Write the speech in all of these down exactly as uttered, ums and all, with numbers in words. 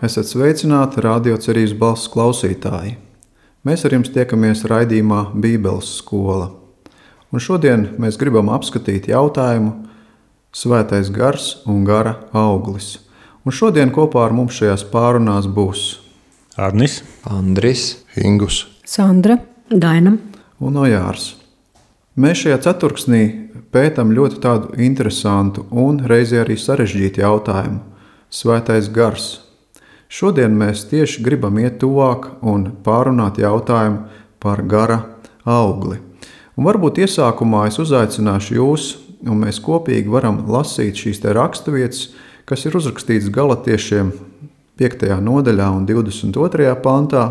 Esat sveicināti Radio Cerības balss klausītāji. Mēs ar jums tiekamies raidījumā Bībeles skola. Un šodien mēs gribam apskatīt jautājumu Svētais gars un gara auglis. Un šodien kopā ar mums šajās pārunās būs Arnis, Andris, Ingus, Sandra, Daina un Ojārs. Mēs šajā ceturksnī pētam ļoti tādu interesantu un reizē arī sarežģītu jautājumu – Svētais gars. Šodien mēs tieši gribam iet tuvāk un pārunāt jautājumu par gara augli. Un varbūt iesākumā es uzaicināšu jūs, un mēs kopīgi varam lasīt šīs te raksturvietas, kas ir uzrakstītas Galatiešiem piektajā nodaļā un divdesmit otrajā pantā,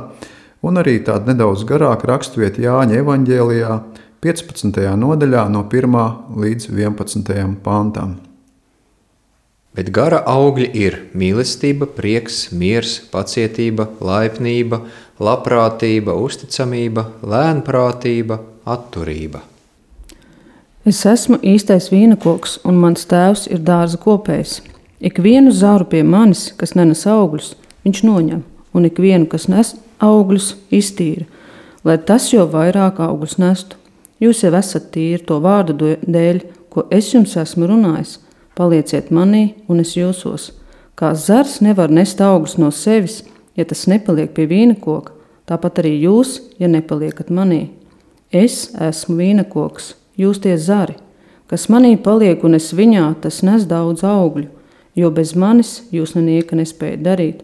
un arī tāda nedaudz garāka raksturvieta Jāņa evaņģēlijā piecpadsmitajā nodaļā no pirmā līdz vienpadsmitajam pantam. Bet gara augļi ir mīlestība, prieks, miers, pacietība, laipnība, labprātība, uzticamība, lēnprātība, atturība. Es esmu īstais vīnakoks, un mans tēvs ir dārza kopējs. Ikvienu zaru pie manis, kas nenes augļus, viņš noņem, un ikvienu, kas nes augļus, iztīra, lai tas jau vairāk augļus nestu. Jūs jau esat tīri to vārdu dēļ, ko es jums esmu runājis. Palieciet manī, un es jūsos. Kā zars nevar nest augļus no sevis, ja tas nepaliek pie vīnakoka, tāpat arī jūs, ja nepaliekat manī. Es esmu vīnakoks, jūs tie zari. Kas manī paliek un es viņā, tas nes daudz augļu, jo bez manis jūs nenieka nespējat darīt.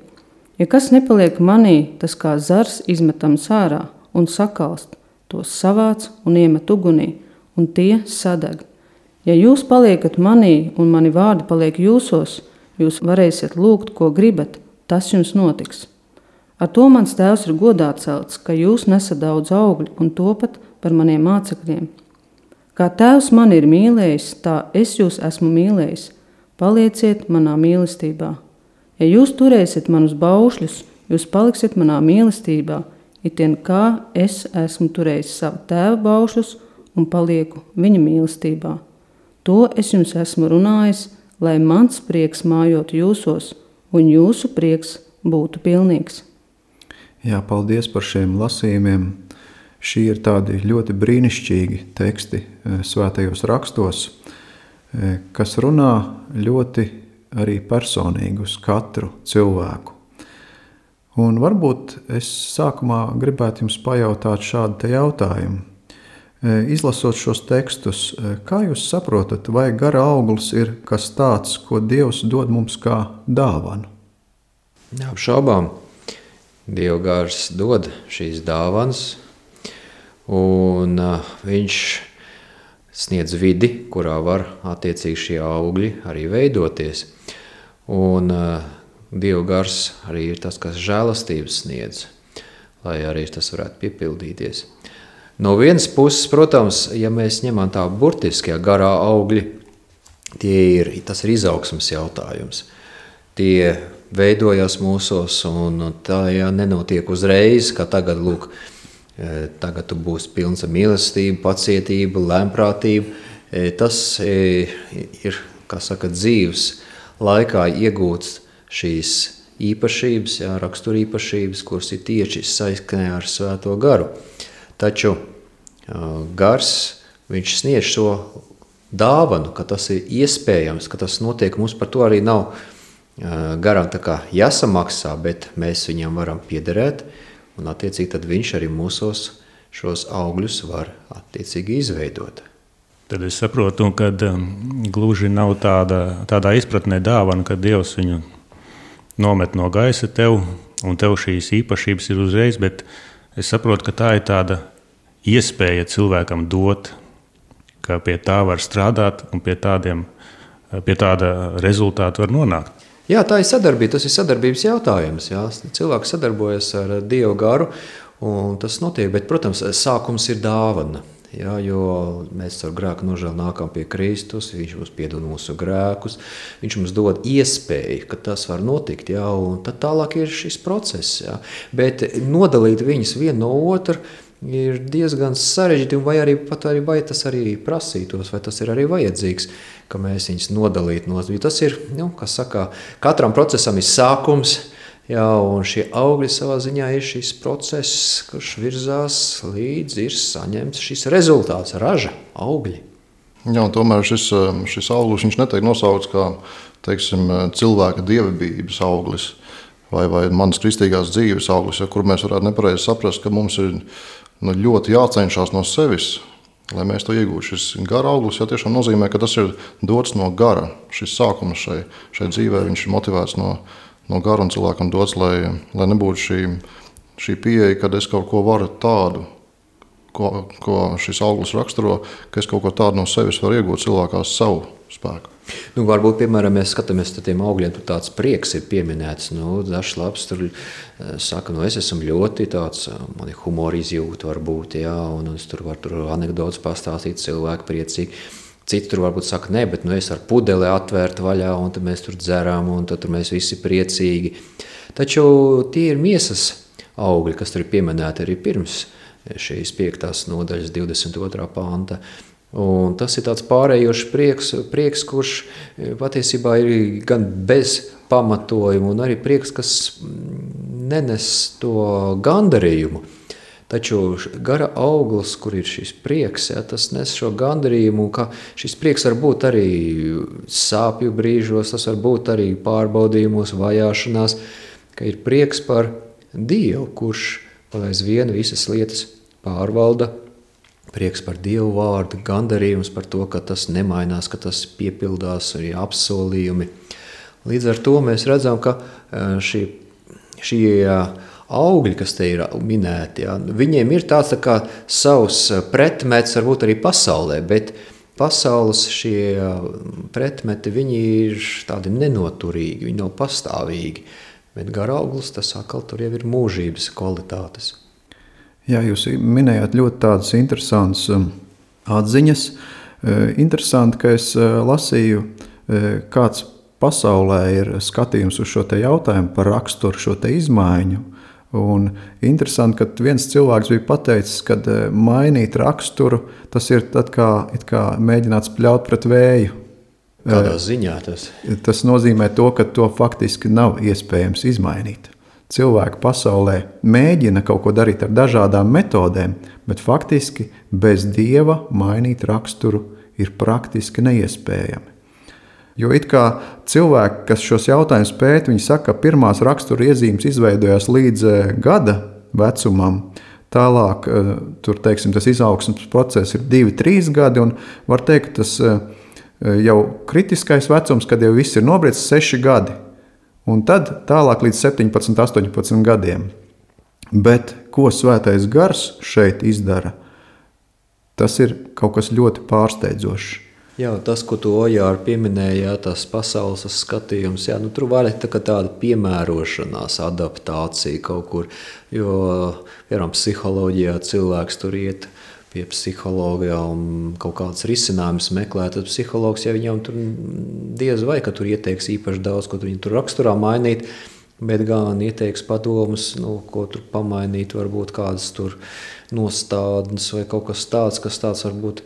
Ja kas nepaliek manī, tas kā zars izmetams ārā un sakalst, tos savāc un iemet ugunī, un tie sadeg. Ja jūs paliekat manī un mani vārdi paliek jūsos, jūs varēsiet lūgt, ko gribat, tas jums notiks. Ar to mans tēvs ir godā celts, ka jūs nesat daudz augļu un topat par maniem mācekļiem. Kā tēvs mani ir mīlējis, tā es jūs esmu mīlējis. Palieciet manā mīlestībā. Ja jūs turēsiet manus baušļus, jūs paliksiet manā mīlestībā, itien kā es esmu turējis savu tēva baušļus un palieku viņa mīlestībā. To es jums esmu runājis, lai mans prieks mājotu jūsos, un jūsu prieks būtu pilnīgs. Jā, paldies par šiem lasījumiem. Šī ir tādi ļoti brīnišķīgi teksti svētajos rakstos, kas runā ļoti arī personīgi uz katru cilvēku. Un varbūt es sākumā gribētu jums pajautāt šādu te jautājumu. Izlasot šos tekstus, kā jūs saprotat, vai gara auglis ir kas tāds, ko Dievs dod mums kā dāvanu? Neapšaubām, Dieva gars dod šīs dāvanas, un viņš sniedz vidi, kurā var attiecīgi šie augļi arī veidoties. Un Dieva gars arī ir tas, kas žēlastības sniedz, lai arī tas varētu piepildīties. No vienas puses, protams, ja mēs ņemam tā burtiskie garā augļi, tie ir, tas ir izaugsmes jautājums. Tie veidojas mūsos, un tā ja nenotiek uzreiz, ka tagad, lūk, tagad tu būsi pilns ar mīlestību, pacietību, lēnprātību. Tas ir, kā saka, dzīves laikā iegūts šīs īpašības, jā, raksturīpašības, kuras ir tieši saiknē ar Svēto garu. Taču gars, viņš sniedz šo dāvanu, ka tas ir iespējams, ka tas notiek. Mums par to arī nav garam tā kā jāsamaksā, bet mēs viņam varam piederēt, un attiecīgi tad viņš arī mūsos šos augļus var attiecīgi izveidot. Tad es saprotu, ka gluži nav tāda, tādā izpratnē dāvana, ka Dievs viņu nomet no gaisa tev, un tev šīs īpašības ir uzreiz, bet es saprotu, ka tā ir tāda iespēja cilvēkam dot, ka pie tā var strādāt un pie, tādiem, pie tāda rezultāta var nonākt. Jā, tā ir sadarbība, tas ir sadarbības jautājums. Jā. Cilvēks sadarbojas ar Dievu garu, un tas notiek, bet, protams, sākums ir dāvana. Jā, jo mēs ar grēku nožēlu nākam pie Kristus, viņš mums piedod mūsu grēkus, viņš mums dod iespēju, ka tas var notikt, jā, un tad tālāk ir šis process. Jā. Bet nodalīt viņus vienu no otru ir diezgan sarežģīti, vai arī pat arī, vai tas arī prasītos, vai tas ir arī vajadzīgs, ka mēs viņus nodalītu no. Tas ir, nu, kas saka, katram procesam ir sākums, Jā, un šie augļi savā ziņā ir šis process, kurš virzās līdz ir saņemts šis rezultāts, raža, augļi. Jā, un tomēr šis, šis auglis viņš netiek nosaukts kā, teiksim, cilvēka dievības auglis vai, vai manas kristīgās dzīves auglis, ja, kur mēs varētu nepareizi saprast, ka mums ir nu, ļoti jācenšas no sevis, lai mēs to iegūtu. Šis gara auglis ja, tiešām nozīmē, ka tas ir dots no gara. Šis sākums šai, šai dzīvē viņš ir motivēts no no gara un cilvēkam dots, lai, lai nebūtu šī, šī pieeja, kad es kaut ko varu tādu, ko, ko šis auglis raksturo, ka es kaut ko tādu no sevis varu iegūt cilvēkā savu spēku. Nu, varbūt, piemēram, mēs skatāmies uz tiem augļiem, tur tāds prieks ir pieminēts. Nu, dažs labs tur saka, nu, es esmu ļoti tāds, man ir humora izjūta varbūt, jā, un es tur varu tur anekdotas pastāstīt, cilvēki priecīgi. Citi tur varbūt saka, ne, bet nu, es ar pudeli atvērt vaļā, un tad mēs tur dzeram, un tad tur mēs visi priecīgi. Taču tie ir miesas augļi, kas tur ir pieminēti arī pirms šīs piektās nodaļas divdesmit otrā panta. Un tas ir tāds pārējošs prieks, prieks, kurš patiesībā ir gan bez pamatojuma, un arī prieks, kas nenes to gandarījumu. Taču gara auglis, kur ir šis prieks, ja, tas nes šo gandarījumu, ka šis prieks var būt arī sāpju brīžos, tas var būt arī pārbaudījumos, vajāšanās, ka ir prieks par Dievu, kurš aizvien visas lietas pārvalda, prieks par Dievu vārdu, gandarījums par to, ka tas nemainās, ka tas piepildās, arī apsolījumi. Līdz ar to mēs redzam, ka šī, šī augļi, kas te ir minēti, jā, viņiem ir tāds tā kā savs pretmets varbūt arī pasaulē, bet pasaules šie pretmeti, viņi ir tādi nenoturīgi, viņi nav pastāvīgi, bet gara auglis, tas atkal tur jau ir mūžības kvalitātes. Jā, jūs minējāt ļoti tādas interesantas atziņas. Interesanti, ka es lasīju, kāds pasaulē ir skatījums uz šo te jautājumu par raksturu, šo te izmaiņu. Un interesanti, ka viens cilvēks bija pateicis, ka mainīt raksturu, tas ir tad kā, it kā mēģināt spļaut pret vēju. Kādā ziņā tas? Tas nozīmē to, ka to faktiski nav iespējams izmainīt. Cilvēki pasaulē mēģina kaut ko darīt ar dažādām metodēm, bet faktiski bez Dieva mainīt raksturu ir praktiski neiespējami. Jo it kā cilvēki, kas šos jautājumus pēt, viņi saka, ka pirmās rakstura iezīmes izveidojās līdz gada vecumam. Tālāk, tur, teiksim, tas izaugsmes process ir divi, trīs gadi, un var teikt, tas jau kritiskais vecums, kad jau viss ir nobriedis seši gadi. Un tad tālāk līdz septiņpadsmit, astoņpadsmit gadiem. Bet ko Svētais Gars šeit izdara, tas ir kaut kas ļoti pārsteidzošs. Jā, tas, ko tu Ojāri pieminēji, jā, tas pasaules skatījums, jā, nu, tur var tā kā tāda piemērošanās, adaptācija kaut kur, jo, piemēram, psiholoģijā cilvēks tur iet pie psihologa un kaut kāds risinājums meklē, tad psihologs, ja viņam tur diez vai, ka tur ieteiks īpaši daudz, ko viņi tur raksturā mainīt, bet gan ieteiks padomus, nu, ko tur pamainīt, varbūt kādas tur nostādnes vai kaut kas tāds, kas tāds varbūt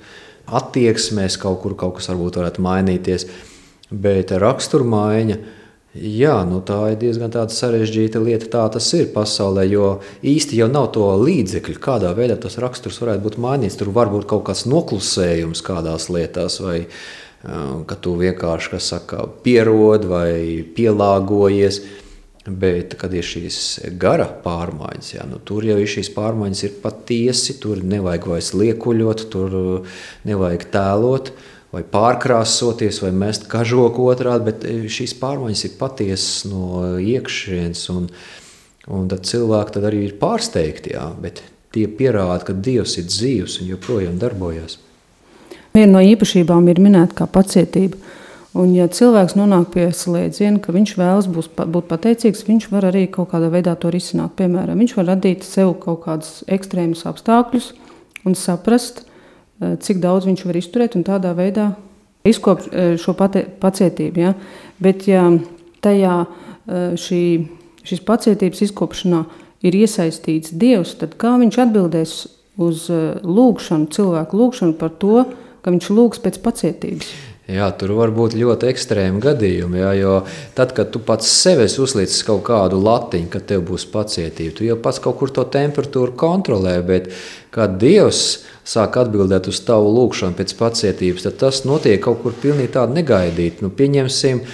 attieksmēs kaut kur, kaut kas varbūt varētu mainīties, bet raksturmaiņa, jā, nu tā ir diezgan tāda sarežģīta lieta, tā tas ir pasaulē, jo īsti jau nav to līdzekļu, kādā veidā tas raksturs varētu būt mainīts, tur var būt kaut kāds noklusējums kādās lietās, vai ka tu vienkārši, kas saka, pierod vai pielāgojies, bet, kad ir šīs gara pārmaiņas, jā, nu, tur jau ir šīs pārmaiņas ir patiesi, tur nevajag vairs liekuļot, tur nevajag tēlot, vai pārkrāsoties, vai mest kažoku otrādi, bet šīs pārmaiņas ir patiesas no iekšienes, un, un tad cilvēki tad arī ir pārsteigti, jā, bet tie pierāda, ka Dievs ir dzīvs un joprojām darbojas. Viena no īpašībām ir minēta kā pacietība. Un, ja cilvēks nonāk pie slēdziena, ka viņš vēlas būs, būt pateicīgs, viņš var arī kaut kādā veidā to risināt. Piemēram, viņš var radīt sev kaut kādus ekstrēmus apstākļus un saprast, cik daudz viņš var izturēt un tādā veidā izkopt šo pate, pacietību. Ja? Bet, ja tajā šī, šīs pacietības izkopšanā ir iesaistīts Dievs, tad kā viņš atbildēs uz lūgšanu, cilvēku lūgšanu par to, ka viņš lūgs pēc pacietības? Jā, tur var būt ļoti ekstrēmi gadījumi, jā, jo tad, kad tu pats sev esi uzlicis kaut kādu latiņu, kad tev būs pacietība, tu jau pats kaut kur to temperatūru kontrolē, bet kad Dievs sāk atbildēt uz tavu lūgšanu pēc pacietības, tad tas notiek kaut kur pilnīgi tādu negaidīt. Nu, pieņemsim,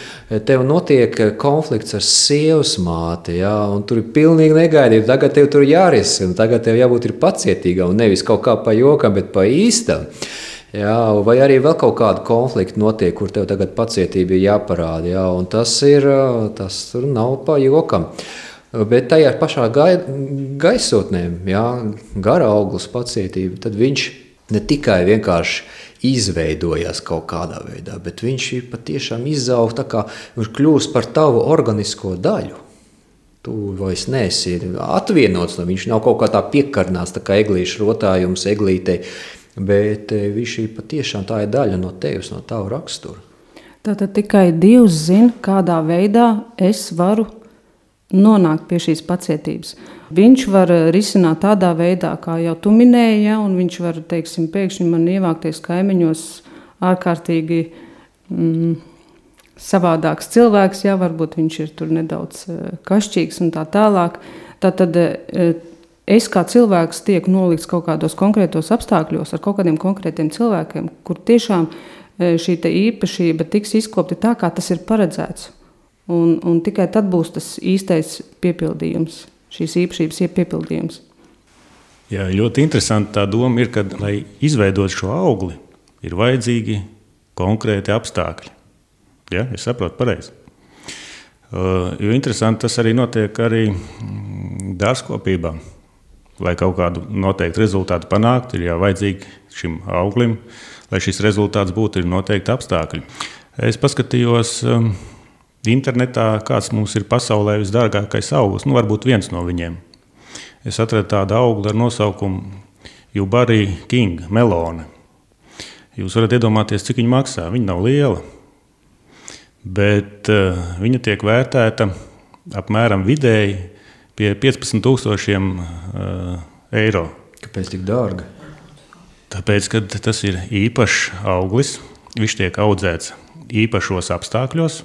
tev notiek konflikts ar sievas māti, jā, un tur ir pilnīgi negaidīt, tagad tev tur jārisina, tagad tev jābūt ir pacietīgam, un nevis kaut kā pa jokam, bet pa īstam. Jā, vai arī vēl kaut kāda konflikta notiek, kur tev tagad pacietība ir jāparāda, jā, un tas ir, tas tur nav pa jokam. Bet tajā pašā gai, gaisotnē, jā, gara auglis pacietība, tad viņš ne tikai vienkārši izveidojās kaut kādā veidā, bet viņš ir patiešām izaug tā kā viņš kļūst par tavu organisko daļu. Tu vairs neesi atvienots, viņš nav kaut kā tā piekarnās, tā kā eglīšu rotājums eglītei, bet viņš ir patiešām tā ir daļa no tevis, no tavu raksturu. Tātad tikai Dievs zina, kādā veidā es varu nonākt pie šīs pacietības. Viņš var risināt tādā veidā, kā jau tu minēji, ja, un viņš var, teiksim, pēkšņi man ievākties kaimiņos ārkārtīgi mm, savādāks cilvēks, ja, varbūt viņš ir tur nedaudz kašķīgs un tā tālāk. Tātad es kā cilvēks tiek nolikts kaut kādos konkrētos apstākļos ar kaut kādiem konkrētiem cilvēkiem, kur tiešām šī te īpašība tiks izkopta tā, kā tas ir paredzēts. Un, un tikai tad būs tas īstais piepildījums, šīs īpašības piepildījums. Jā, ļoti interesanti tā doma ir, ka, lai izveidot šo augli, ir vajadzīgi konkrēti apstākļi. Ja, es saprotu pareizi. Uh, jo interesanti tas arī notiek arī dārzkopībā. Lai kaut kādu noteiktu rezultātu panākt, ir jau vajadzīgi šim auglim, lai šis rezultāts būtu, ir noteikti apstākļi. Es paskatījos um, internetā, kāds mums ir pasaulē visdārgākais auglis, nu varbūt viens no viņiem. Es atradu tādu augli ar nosaukumu Yubari King, melone. Jūs varat iedomāties, cik viņa maksā. Viņa nav liela, bet uh, viņa tiek vērtēta apmēram vidēji pie piecpadsmit tūkstošiem uh, eiro. Kāpēc tik dārga? Tāpēc, ka tas ir īpašs auglis, viņš tiek audzēts īpašos apstākļos,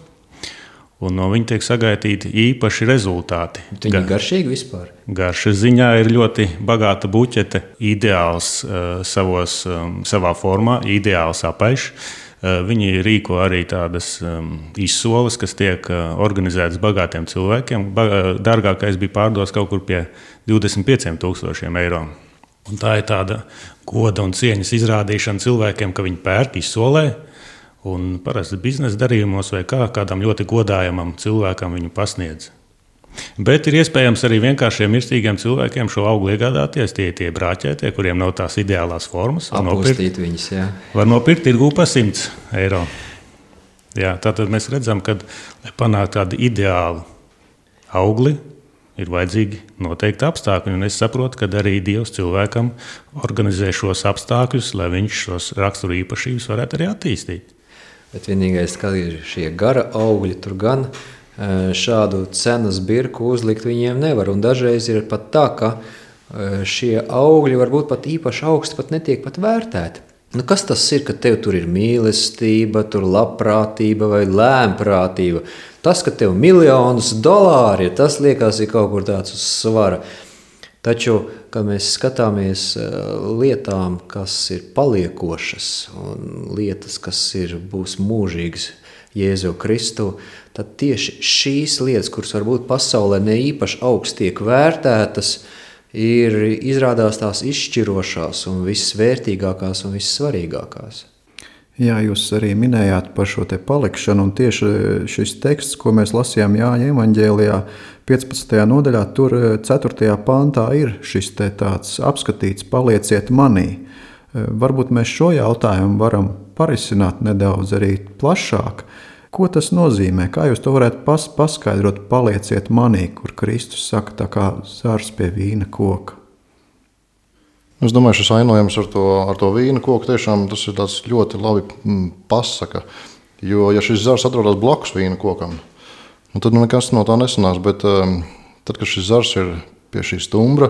un no viņa tiek sagaidīti īpaši rezultāti. Viņa ir garšīga vispār? Garšas ziņā ir ļoti bagāta buķete, ideāls uh, savos, um, savā formā, ideāls apaišs. Viņi rīko arī tādas um, izsoles, kas tiek uh, organizētas bagātiem cilvēkiem. Ba dārgākais bija pārdos kaut kur pie divdesmit pieciem tūkstošiem eiro. Un tā ir tāda goda un cieņas izrādīšana cilvēkiem, ka viņi pērk izsolē, un parasti biznesa darījumos vai kā, kādam ļoti godājamam cilvēkam viņu pasniedz. Bet ir iespējams arī vienkāršiem mirstīgiem cilvēkiem šo augli iegādāties, tie tie brāķētie, kuriem nav tās ideālās formas. Apustīt viņus, jā. Var nopirkt tirgū pa simts eiro. Jā, tātad mēs redzam, ka, lai panāktu tādu ideālu augli, ir vajadzīgi noteikti apstākļi. Un es saprotu, ka arī Dievs cilvēkam organizē šos apstākļus, lai viņš šos raksturu īpašības varētu arī attīstīt. Bet vienīgais, ka ir šie gara augļi, tur gan šādu cenas birku uzlikt viņiem nevar. Un dažreiz ir pat tā, ka šie augļi varbūt pat īpaši augsti pat netiek pat vērtēti. Nu, kas tas ir, ka tev tur ir mīlestība, tur labprātība vai lēmprātība? Tas, ka tev miljonus dolāri, tas liekas ir kaut kur tāds uz svara. Taču, kad mēs skatāmies lietām, kas ir paliekošas un lietas, kas ir, būs mūžīgas Jēzu Kristu, tad tieši šīs lietas, kuras varbūt pasaulē ne īpaši augsti tiek vērtētas, ir izrādās tās izšķirošās un vissvērtīgākās un vissvarīgākās. Jā, jūs arī minējāt par šo te palikšanu, un tieši šis teksts, ko mēs lasījām Jāņa evaņģēlijā piecpadsmitajā nodaļā, tur ceturtajā pantā ir šis te tāds apskatīts palieciet manī. Varbūt mēs šo jautājumu varam parisināt nedaudz arī plašāk. Ko tas nozīmē? Kā jūs to varētu pas, paskaidrot, palieciet manī, kur Kristus saka tā kā zars pie vīna koka? Es domāju, šis ainojums ar to, ar to vīna koku tiešām tas ir tāds ļoti labi pasaka. Jo, ja šis zars atrodas blakus vīna kokam, nu tad nekas no tā nesanās. Bet um, tad, kad šis zars ir pie šī stumbra,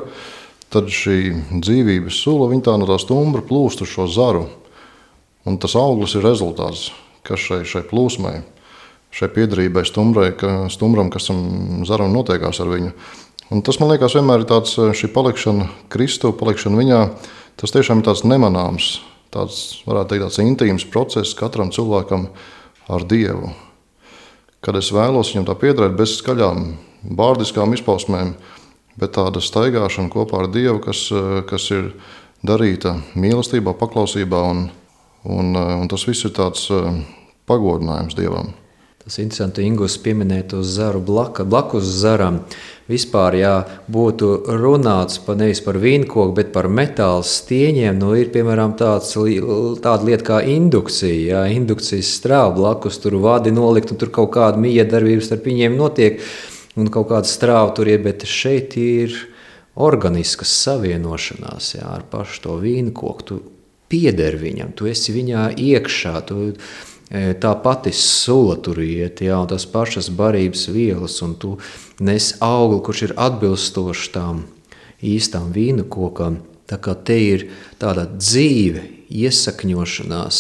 tad šī dzīvības sula, viņa tā no tā stumbra plūst uz šo zaru. Un tas auglis ir rezultāts. kas šai, šai plūsmai, šai piedarībai stumbrai, ka, stumbram, kas tam zaram notiekās ar viņu. Un tas, man liekas, vienmēr ir tāds, šī palikšana Kristu, palikšana viņā, tas tiešām ir tāds nemanāms, tāds, varētu teikt, tāds intīms process katram cilvēkam ar Dievu. Kad es vēlos viņam tā piedarēt bez skaļām, bārdiskām izpausmēm, bet tāda staigāšana kopā ar Dievu, kas, kas ir darīta mīlestībā, paklausībā, un, un, un tas viss ir tāds pagodinājums Dievam. Tas interesanti, Ingus pieminēt uz zaru blaka, blakus zaram. Vispār, ja būtu runāts pa, nevis par vīnkoku, bet par metāla stieņiem, nu ir, piemēram, tāds, tāda lieta kā indukcija. Ja? Indukcijas strāva blakus, tur vadi nolikt, un tur kaut kāda miedarbības starp viņiem notiek, un kaut kāda strāva tur ir, bet šeit ir organiskas savienošanās, ja, ar pašu to vīnkoku. Tu pieder viņam, tu esi viņā iekšā, tu tā pati sula tur iet, ja, un tās pašas barības vielas, un tu nes augli, kurš ir atbilstoši tām īstām vīnu kokām. Tā kā te ir tāda dzīve, iesakņošanās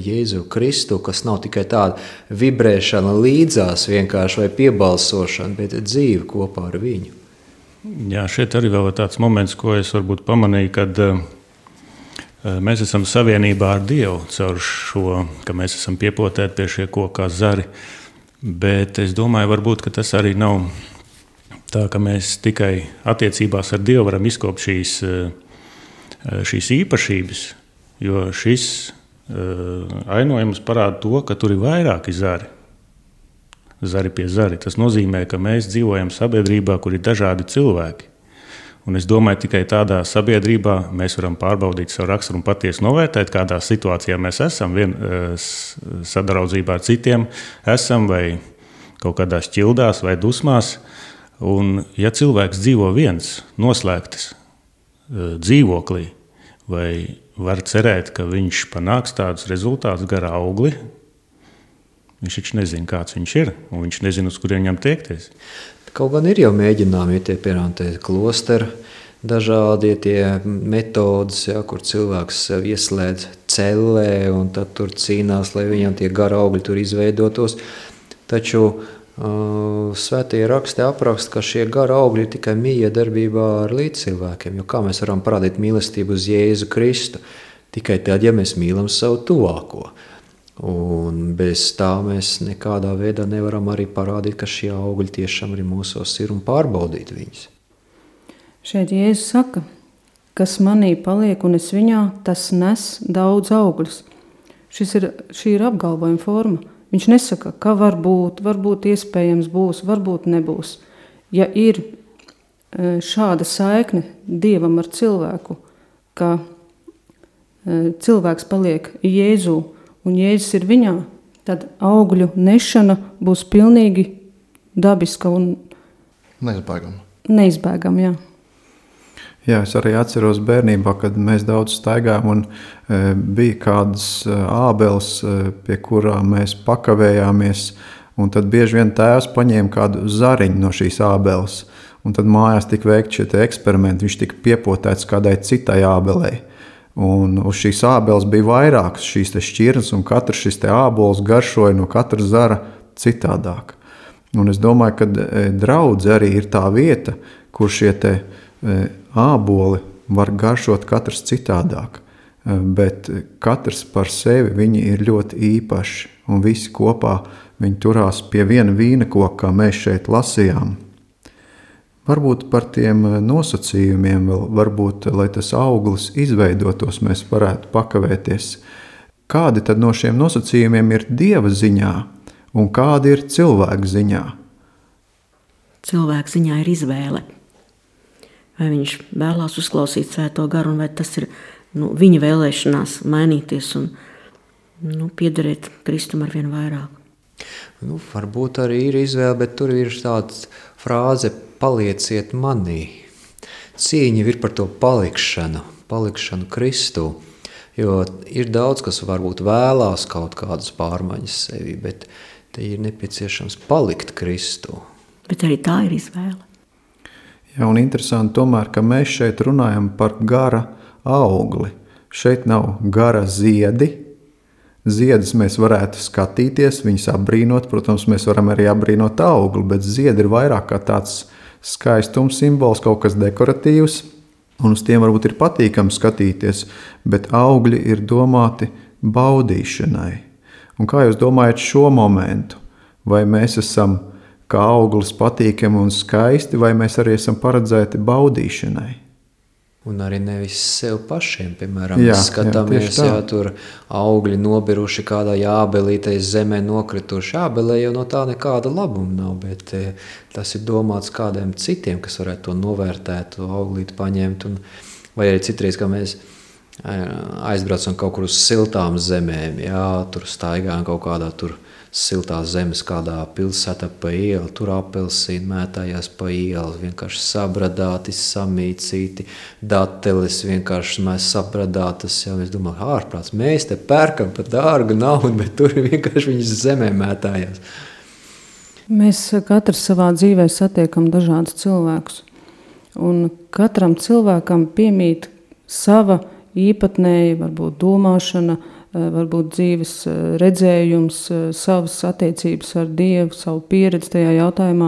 Jēzu Kristu, kas nav tikai tāda vibrēšana līdzās vienkārši vai piebalsošana, bet dzīve kopā ar viņu. Jā, šeit arī vēl ir tāds moments, ko es varbūt pamanīju, kad mēs esam savienībā ar Dievu caur šo, ka mēs esam piepotēti pie šie kokā zari. Bet es domāju, varbūt, ka tas arī nav tā, ka mēs tikai attiecībās ar Dievu varam izkopt šīs, šīs īpašības, jo šis ainojums parāda to, ka tur ir vairāki zari. Zari pie zari. Tas nozīmē, ka mēs dzīvojam sabiedrībā, kur ir dažādi cilvēki. Un es domāju, tikai tādā sabiedrībā mēs varam pārbaudīt savu raksturu un patiesi novērtēt, kādā situācijā mēs esam, vien, sadraudzībā ar citiem esam vai kaut kādās ķildās vai dusmās. Un ja cilvēks dzīvo viens, noslēgtas dzīvoklī, vai var cerēt, ka viņš panāks tādus rezultātus gar augli, viņš taču nezina, kāds viņš ir, un viņš nezina, uz kuriem viņam tiekties. Kaut gan ir jau mēģinājumi, tie piemēram tie klosteri, dažādi tie metodas, ja, kur cilvēks sev ieslēdz cellē un tad tur cīnās, lai viņam tie gara augļi tur izveidotos. Taču uh, svētie raksti apraksta, ka šie gara augļi ir tikai miedarbībā ar līdzcilvēkiem, jo kā mēs varam parādīt mīlestību uz Jēzu Kristu? Tikai tad, ja mēs mīlam savu tuvāko. Un bez tā mēs nekādā veidā nevaram arī parādīt, ka šie augļi tiešām arī mūsos ir un pārbaudīt viņus. Šeit Jēzus saka, kas manī paliek un es viņā, tas nes daudz augļus. Šis ir, šī ir apgalvojuma forma. Viņš nesaka, ka var būt, varbūt iespējams būs, varbūt nebūs. Ja ir šāda saikne Dievam ar cilvēku, ka cilvēks paliek Jēzū, un Jēzus ir viņā, tad augļu nešana būs pilnīgi dabiska un neizbēgama. Neizbēgama, jā. Jā, es arī atceros bērnībā, kad mēs daudz staigājām un e, bija kādas e, ābeles, e, pie kurām mēs pakavējāmies, un tad bieži vien tēvs paņēma kādu zariņu no šīs ābeles, un tad mājās tika veikti šie eksperimenti, viņš tika piepotēts kādai citai ābelei. Un uz šīs ābeles bija vairākas šīs te šķirnes, un katrs šis te ābols garšoja no katra zara citādāk. Un es domāju, ka draudze arī ir tā vieta, kur šie te āboli var garšot katrs citādāk. Bet katrs par sevi viņi ir ļoti īpaši, un visi kopā viņi turās pie viena vīna koka, kā mēs šeit lasījām. Varbūt par tiem nosacījumiem vēl, varbūt, lai tas auglis izveidotos, mēs varētu pakavēties. Kādi tad no šiem nosacījumiem ir Dieva ziņā un kādi ir cilvēka ziņā? Cilvēka ziņā ir izvēle. Vai viņš vēlās uzklausīt Svēto garu, un vai tas ir nu, viņa vēlēšanās mainīties un nu, piederēt Kristum ar vien vairāk. Nu, varbūt arī ir izvēle, bet tur ir tāds frāze palieciet manī. Cīņa ir par to palikšanu, palikšanu Kristū, jo ir daudz, kas varbūt vēlās kaut kādas pārmaiņas sevi, bet te ir nepieciešams palikt Kristū. Bet arī tā ir izvēle. Jā, un interesanti tomēr, ka mēs šeit runājam par gara augli. Šeit nav gara ziedi, Ziedus mēs varētu skatīties, viņus apbrīnot, protams, mēs varam arī apbrīnot augli, bet ziedi ir vairāk kā tāds skaistums simbols, kaut kas dekoratīvs, un uz tiem varbūt ir patīkami skatīties, bet augļi ir domāti baudīšanai. Un kā jūs domājat šo momentu? Vai mēs esam kā auglis patīkami un skaisti, vai mēs arī esam paredzēti baudīšanai? Un arī nevis sev pašiem, piemēram, Jā, mēs skatāmies, jā, tieši tā. jā, tur augļi nobiruši kādā jābelītei zemē nokrituši. Jābelē jau no tā nekāda labuma nav, bet e, tas ir domāts kādiem citiem, kas varētu to novērtēt, to auglīti paņemt. Un, vai arī citreiz, kā mēs aizbraucam kaut kur uz siltām zemēm, jā, tur staigājam kaut kādā tur siltās zemes, kādā pilsētā pa ielu, tur apelsīni mētājās pa ielu, vienkārši sabradāti, samīcīti, dateles vienkārši mēs sabradātas, jau es domāju, ārprāts, mēs te pērkam par dārgu naudu, bet tur vienkārši viņas zemē mētājās. Mēs katrs savā dzīvē satiekam dažādus cilvēkus, un katram cilvēkam piemīt sava īpatnēja, varbūt domāšana, varbūt dzīves redzējums, savas attiecības ar Dievu, savu pieredzi tajā jautājumā.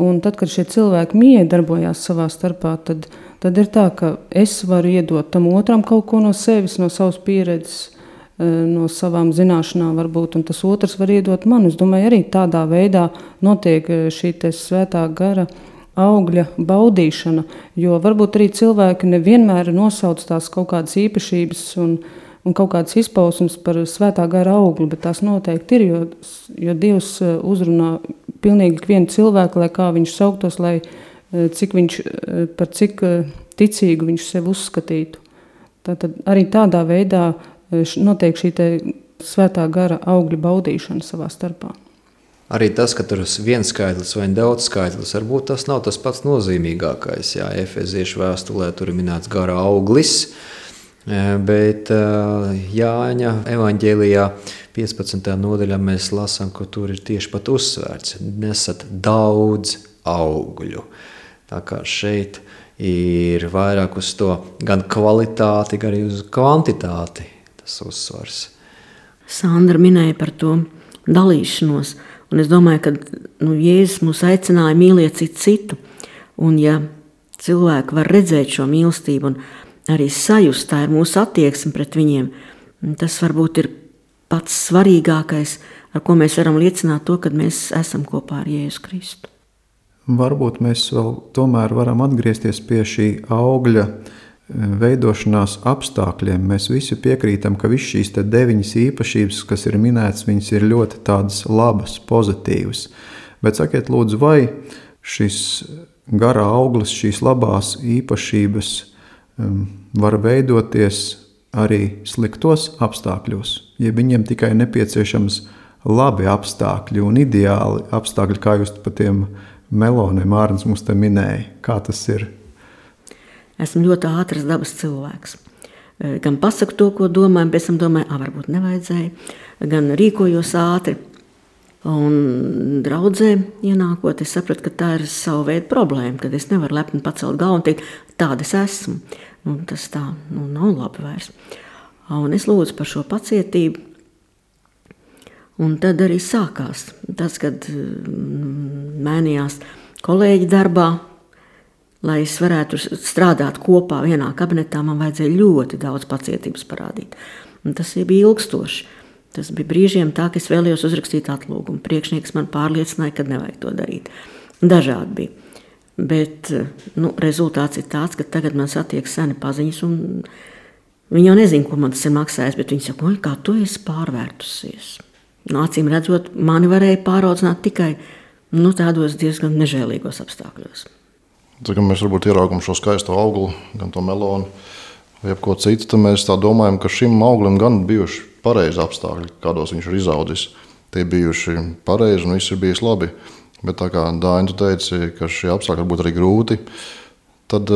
Un tad, kad šie cilvēki miedarbojās savā starpā, tad, tad ir tā, ka es varu iedot tam otram kaut ko no sevis, no savas pieredzes, no savām zināšanām varbūt, un tas otrs var iedot man. Es domāju, arī tādā veidā notiek šī te svētā gara augļa baudīšana, jo varbūt arī cilvēki nevienmēr nosauc tās kaut kādas īpašības un un kaut kādas izpausmes par svētā gara augli, bet tās noteikti ir, jo, jo Dievs uzrunā pilnīgi ikvienu cilvēku, lai kā viņš sauktos, lai cik viņš, par cik ticīgu viņš sevi uzskatītu. Tātad arī tādā veidā notiek šī te svētā gara augļa baudīšana savā starpā. Arī tas, ka tur ir viens skaitlis vai daudz skaitlis, varbūt tas nav tas pats nozīmīgākais. Jā, Efeziešu vēstulē tur ir minēts gara auglis, bet Jāņa evaņģēlijā piecpadsmitajā nodaļā mēs lasām, ka tur ir tieši pat uzsvērts. Nesat daudz augļu. Tā kā šeit ir vairāk uz to gan kvalitāti, gan arī uz kvantitāti tas uzsvars. Sandra minēja par to dalīšanos, un es domāju, ka nu, Jēzus mūs aicināja mīlēt citu citu, un ja cilvēki var redzēt šo mīlestību un arī sajust, tā ir mūsu attieksme pret viņiem. Tas varbūt ir pats svarīgākais, ar ko mēs varam liecināt to, kad mēs esam kopā ar Jēzu Kristu. Varbūt mēs vēl tomēr varam atgriezties pie šī augļa veidošanās apstākļiem. Mēs visi piekrītam, ka viss šīs te deviņas īpašības, kas ir minētas, viņas ir ļoti tādas labas, pozitīvas. Bet sakiet lūdzu, vai šis garā auglis, šīs labās īpašības var veidoties arī sliktos apstākļos, ja viņiem tikai nepieciešams labi apstākļi un ideāli apstākļi, kā jūs pa tiem meloniem Ārns mums te minēja. Kā tas ir? Esmu ļoti ātras dabas cilvēks. Gan pasaku to, ko domāju, pēc tam domāju, ā, varbūt nevajadzēja, gan rīkojos ātri. Un draudzē ienākot, es sapratu, ka tā ir savu veidu problēma, kad es nevaru lepni pacelt galvu un teikt, tāda es esmu. Un tas tā nu, nav labi vairs. Un es lūdzu par šo pacietību. Un tad arī sākās tas, kad mainījās kolēģi darbā, lai es varētu strādāt kopā vienā kabinetā, man vajadzēja ļoti daudz pacietības parādīt. Un tas bija ilgstoši. Tas bija brīžiem tā, ka es vēlējos uzrakstīt atlūgumu. Priekšnieks man pārliecināja, ka nevajag to darīt. Dažādi bija. Bet nu, rezultāts ir tāds, ka tagad man satiek seni paziņas, un viņi jau nezina, ko man tas ir maksājis, bet viņi saka, kā tu esi pārvērtusies. Nu, acīm redzot, mani varēja pāraudzināt tikai nu, tādos diezgan nežēlīgos apstākļos. Tad, kad mēs varbūt ieraugam šo skaisto auglu, gan to melonu, vai jebko citu, tad mēs tā domājam, ka šim auglim gan bijuši pareizi apstākļi, kādos viņš ir izaudzis. Tie bijuši pareizi un viss ir bijis labi. Bet tā kā Dāņa tu teici, ka šie apstākļi būtu arī grūti, tad,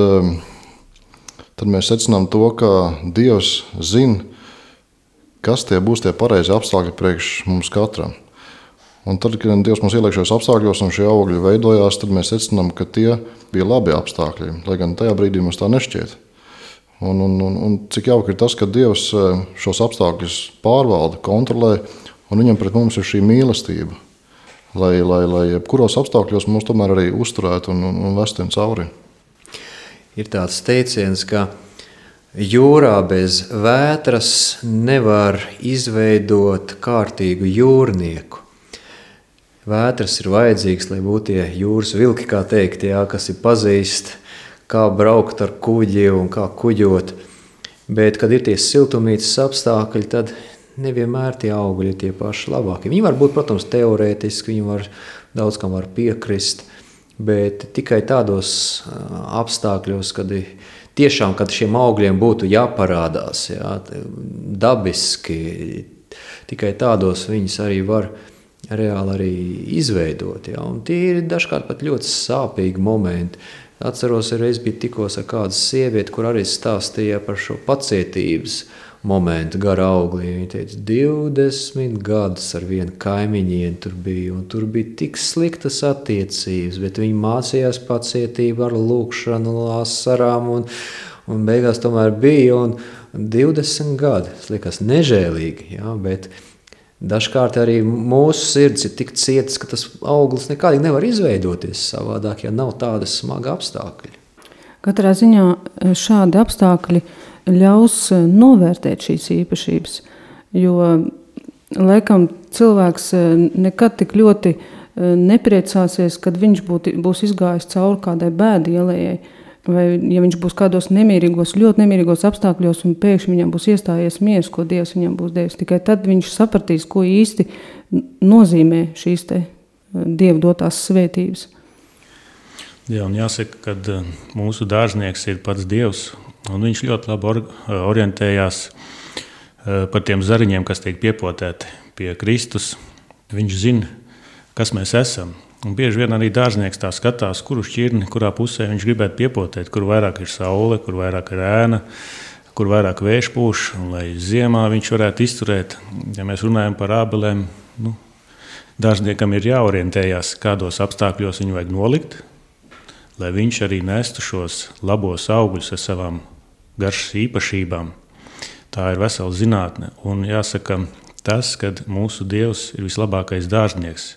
tad mēs secinām to, ka Dievs zina, kas tie būs tie pareizi apstākļi priekš mums katram. Un tad, kad Dievs mums ieliek šajos apstākļos un šie augļi veidojās, tad mēs secinām, ka tie bija labi apstākļi, lai gan tajā brīdī mums tā nešķiet. Un, un, un, un cik jauki ir tas, ka Dievs šos apstākļus pārvalda, kontrolē, un viņam pret mums ir šī mīlestība, lai, lai, lai jebkuros apstākļos mums tomēr arī uzturētu un, un, un vestiem cauri. Ir tāds teiciens, ka jūrā bez vētras nevar izveidot kārtīgu jūrnieku. Vētras ir vajadzīgs, lai būtu tie jūras vilki, kā teikt, jā, kas ir pazīst, kā braukt ar kuģi un kā kuģot. Bet, kad ir tie siltumnīcas apstākļi, tad nevienmēr tie augļi ir tie paši labākie. Viņi var būt, protams, teorētiski, viņi var, daudz kam var piekrist, bet tikai tādos apstākļos, kad tiešām, kad šiem augļiem būtu jāparādās, jā, dabiski, tikai tādos viņus arī var reāli arī izveidot. Jā. Un tie ir dažkārt pat ļoti sāpīgi momenti. Atceros, reiz bija tikos ar kādu sievieti, kur arī stāstīja par šo pacietības momentu gar auglī. Viņa teica, divdesmit gadus ar vienu kaimiņienu tur bija, un tur bija tik sliktas attiecības, bet viņi mācījās pacietību ar lūkšanu, asarām, un, un beigās tomēr bija, un divdesmit gadi, tas liekas nežēlīgi, jā, bet dažkārt arī mūsu sirds ir tik cietas, ka tas auglis nekādīgi nevar izveidoties savādāk, ja nav tāda smaga apstākļi. Katrā ziņā šādi apstākļi ļaus novērtēt šīs īpašības, jo laikam cilvēks nekad tik ļoti nepriecāsies, kad viņš būt, būs izgājis cauri kādai bēdu ielējai, vai ja viņš būs kādos nemierīgos, ļoti nemierīgos apstākļos un pēkšņi viņam būs iestājies miers, ko Dievs viņam būs devis. Tikai tad viņš sapratīs, ko īsti nozīmē šīs te Dieva dotās svētības. Jā, un jāsaka, ka mūsu dārznieks ir pats Dievs, un viņš ļoti labi or, orientējās par tiem zariņiem, kas tiek piepotēti pie Kristus. Viņš zina, kas mēs esam. Un bieži vien arī dārznieks tā skatās, kuru šķirni, kurā pusē viņš gribētu piepotēt, kur vairāk ir saule, kur vairāk ir ēna, kur vairāk vējš pūš, un lai ziemā viņš varētu izturēt. Ja mēs runājam par ābelēm, nu, dārzniekam ir jāorientējās, kādos apstākļos viņu vajag nolikt, lai viņš arī nestu šos labos augļus ar savām garšas īpašībām. Tā ir vesela zinātne, un jāsaka tas, ka mūsu Dievs ir vislabākais dārznieks.